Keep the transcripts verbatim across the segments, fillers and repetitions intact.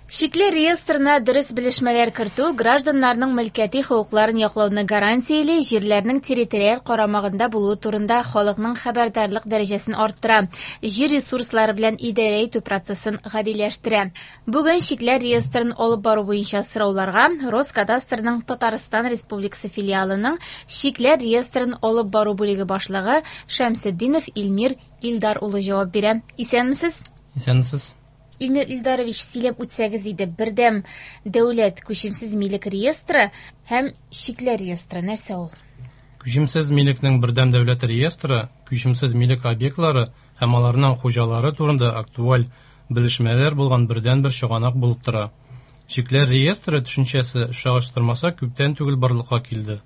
Шикле реестрына дөрес белешмәләр кертү гражданнарның мөлкәти хокукларын яклауны гарантияли, җирләрнең территориаль карамагында булуы турында халыкның хәбәрдарлык дәрәҗәсен арттыра, җир ресурслары белән идарә итү процессын гадиләштерә. Бүген шикләр реестрын алып бару буенча сорауларга Роскадастрның Татарстан Республикасы филиалының шикләр реестрын алып бару бүлеге башлыгы Шәмсетдинов Илмир Илдар улы җавап бирә. Исәнмесез? Исәнмесез. Илмир Илдарович, сөйләп үтсәгез иде, бердәм дәүләт күчемсез милек реестры һәм шикләр реестры нәрсә ул? Күчемсез милекнең бердәм дәүләт реестры күчемсез милек объектлары һәм аларның хуҗалары турында актуаль белешмәләр булган бердәнбер чыганак булып тора. Шикләр реестры төшенчәсе чагыштырмаса күптән түгел барлыкка килде.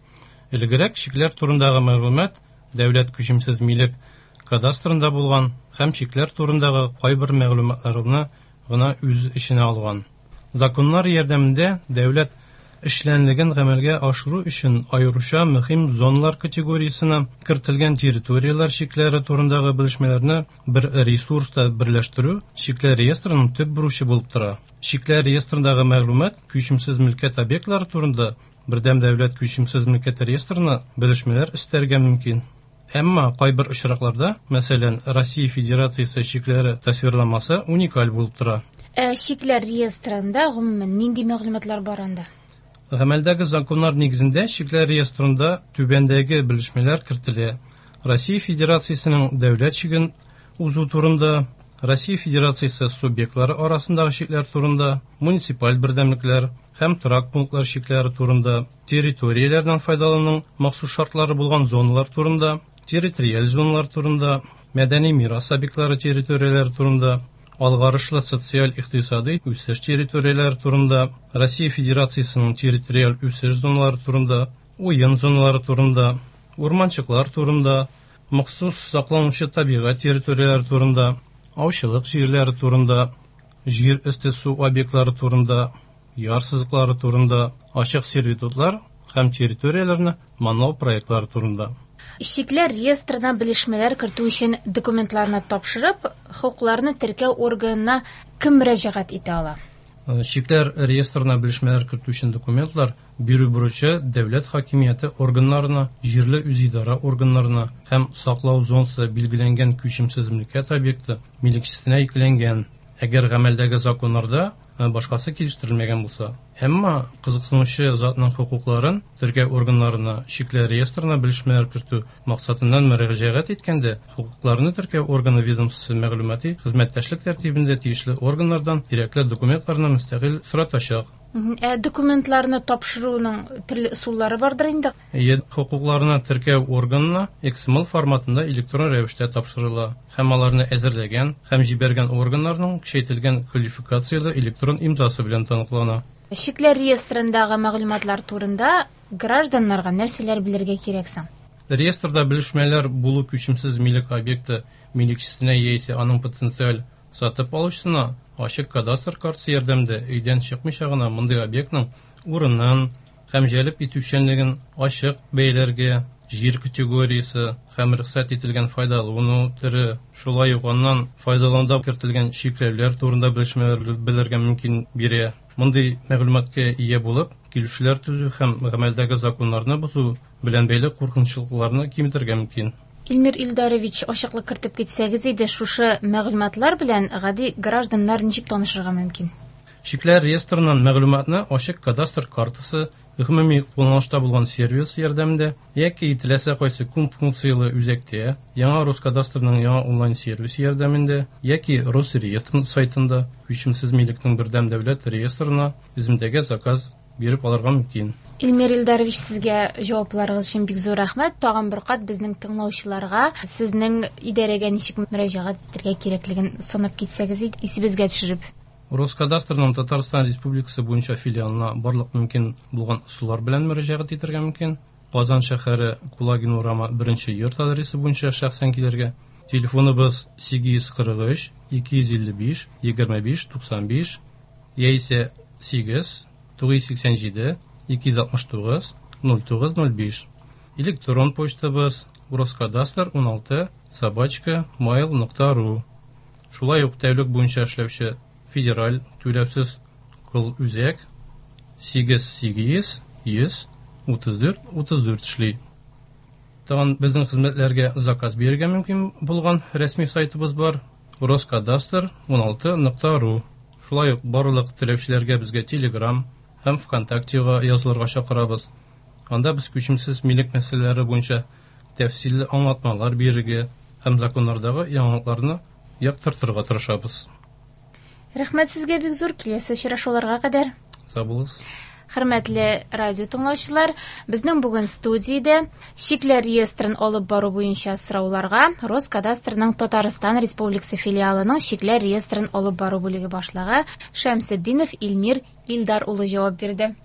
Элегрәк шикләр турындагы мәгълүмат дәүләт күчемсез милек кадастрында булган һәм шикләр турындагы кайбер мәгълүматларны гына үз эченә алган. Законнар ярдәмендә дәүләт эшчәнлеген гамәлгә ашыру өчен аеруча мөһим зоналар категориясенә кертелгән территорияләр чикләре турындагы белешмәләрне бер ресурста берләштерү шикләр реестрының төп бурычы булып тора. Шикләр реестрындагы мәгълүмат күчемсез мөлкәт объектлары турында бердәм дәүләт күчемсез мөлкәт реестрына белешмәләр өстәргә мөмкин. Әмма кайбер очракларда, мәсәлән, Россия Федерациясе чикләре тасвирламасы уникаль булып тора. Ә шикләр реестрында гомумән нинди мәгълүматлар бар анда? Гамәлдәге законнар нигезендә шикләр реестрында түбәндәге белешмәләр кертелә. Россия Федерациясенең дәүләт чиген узу турында, Россия Федерациясе субъектлары арасындагы чикләр турында, муниципаль бердәмлекләр һәм торак пунктлар чикләре турында, территорияләрдән файдалануның махсус шартлары булган зоналар турында, территориаль зоналар турында, мәдәни мирас объектлары территорияләре турында, алгарышлы социаль-икътисади үсеш территорияләре турында, Россия Федерациясенең территориаль үсеш зоналары турында, уен зоналары турында, урманчыклар турында, махсус сакланучы табигать территорияләре турында, аучылык җирләре турында, җир өсте су объектлары турында, яр сызыклары турында, ачык сервитутлар һәм территорияләрне манлау проектлары турында. Шикләр реестрына белешмәләр кертү өчен документларны тапшырып, хокукларны теркәү органына кем мөрәҗәгать итә ала? Шикләр реестрына белешмәләр кертү өчен документлар бирү бурычы дәүләт хакимияте органнарына, җирле үзидарә органнарына һәм саклау зонасы билгеләнгән күчемсез мөлкәт объекты милекчесенә йөкләнгән. Әгәр гамәлдәге законнарда башкасы килештерелмәгән булса, әмма кызыксынучы затның хокукларын теркәү органнарына шикләр реестрына белешмәләр кертү максатыннан мөрәҗәгать иткәндә, хокукларны теркәү органы ведомствосы мәгълүмати хезмәттәшлек тәртибендә тиешле органнардан кирәкле документларны мөстәкыйль соратачак. Ә документларны тапшыруның төрле ысуллары бардыр инде? Әйе, хокукларны теркәү органына X M L форматында электрон рәвештә тапшырыла һәм аларны әзерләгән һәм җибәргән органнарның көчәйтелгән квалификацияле электрон имзасы белән таныклана. Шикләр реестрындагы мәгълүматлар турында гражданнарга нәрсәләр белергә кирәк соң? Реестрда белешмәләр булу күчемсез милек объекты милекчесенә яисә аның потенциаль сатып алучысына ачык кадастр картасы ярдәмендә өйдән чыкмыйча гына мондый объектның урынын һәм җәлеп итүчәнлеген ачык бәяләргә, җир категориясе һәм рөхсәт ителгән файдалану төре, шулай ук аннан файдалануда кертелгән чикләүләр турында белешмәләр белергә мөмкин бирә. Мондый мәгълүматка ия булып, килешүләр төзү һәм гамәлдәге законнарны бозу белән бәйле куркынычлыкларны киметергә мөмкин. Илмир Илдарович, ачыклык кертеп китсәгез иде, шушы мәгълүматлар белән гади гражданнар ничек танышырга мөмкин? Шикләр реестрыннан мәгълүматны ачык кадастр картасы, гомуми кулланышта булган сервис ярдәмендә яки теләсә кайсы күп функцияле үзәктә, яңа Роскадастрның яңа онлайн сервисы ярдәмендә яки Росреестр сайтында күчемсез милекнең бердәм дәүләт реестрына үземдәге заказ биреп алырга мөмкин. Илмир Илдарович, сезгә җавапларыгыз өчен бик зур рәхмәт. Тагын бер кат безнең тыңлаучыларга сезнең идарәгә ничек мөрәҗәгать итәргә кирәклеген санап китсәгез иде, исебезгә төшереп. Роскадастрның Татарстан Республикасы буенча филиалына барлык мөмкин булган ысуллар белән мөрәҗәгать итәргә мөмкин. Казан шәһәре Кулагин урамы беренче йорт адресы буенча шәхсән килергә. Телефоныбыз сигез йөз кырык өч, ике йөз илле биш, егерме биш, туксан биш яисә сигез, тугыз йөз сиксән җиде, ике йөз алтмыш тугыз, ноль тугыз, ноль биш. Электрон почтабыз роскадастр уналты собачка mail нокта ру. Шулай ук тәүлек буенча эшләүче федераль түләүсез Колл-үзәк сигез сигез йөз утыз дүрт утыз дүрт эшли. Тагын безнең хезмәтләргә заказ бирергә мөмкин булган рәсми сайтыбыз бар: Роскадастр ун алты нокта ру. Шулай ук барлык теләүчеләргә безгә Telegram һәм ВКонтактега язылырга чакырабыз. Анда без күчемсез милек мәсьәләләре буенча тәфсилле аңлатмалар бирергә һәм законнардагы яңалыкларны яктыртырга тырышабыз. Рәхмәт сезгә бик зур, киләсе очрашуларга кадәр. Сау булыгыз. Хөрмәтле радио тыңлаучылар, безнең бүген студиядә чикләр реестрын алып бару буенча сорауларга Роскадастрның Татарстан Республикасы филиалының чикләр реестрын алып бару бүлеге башлыгы Шәмсетдинов Илмир Илдар улы җавап бирде.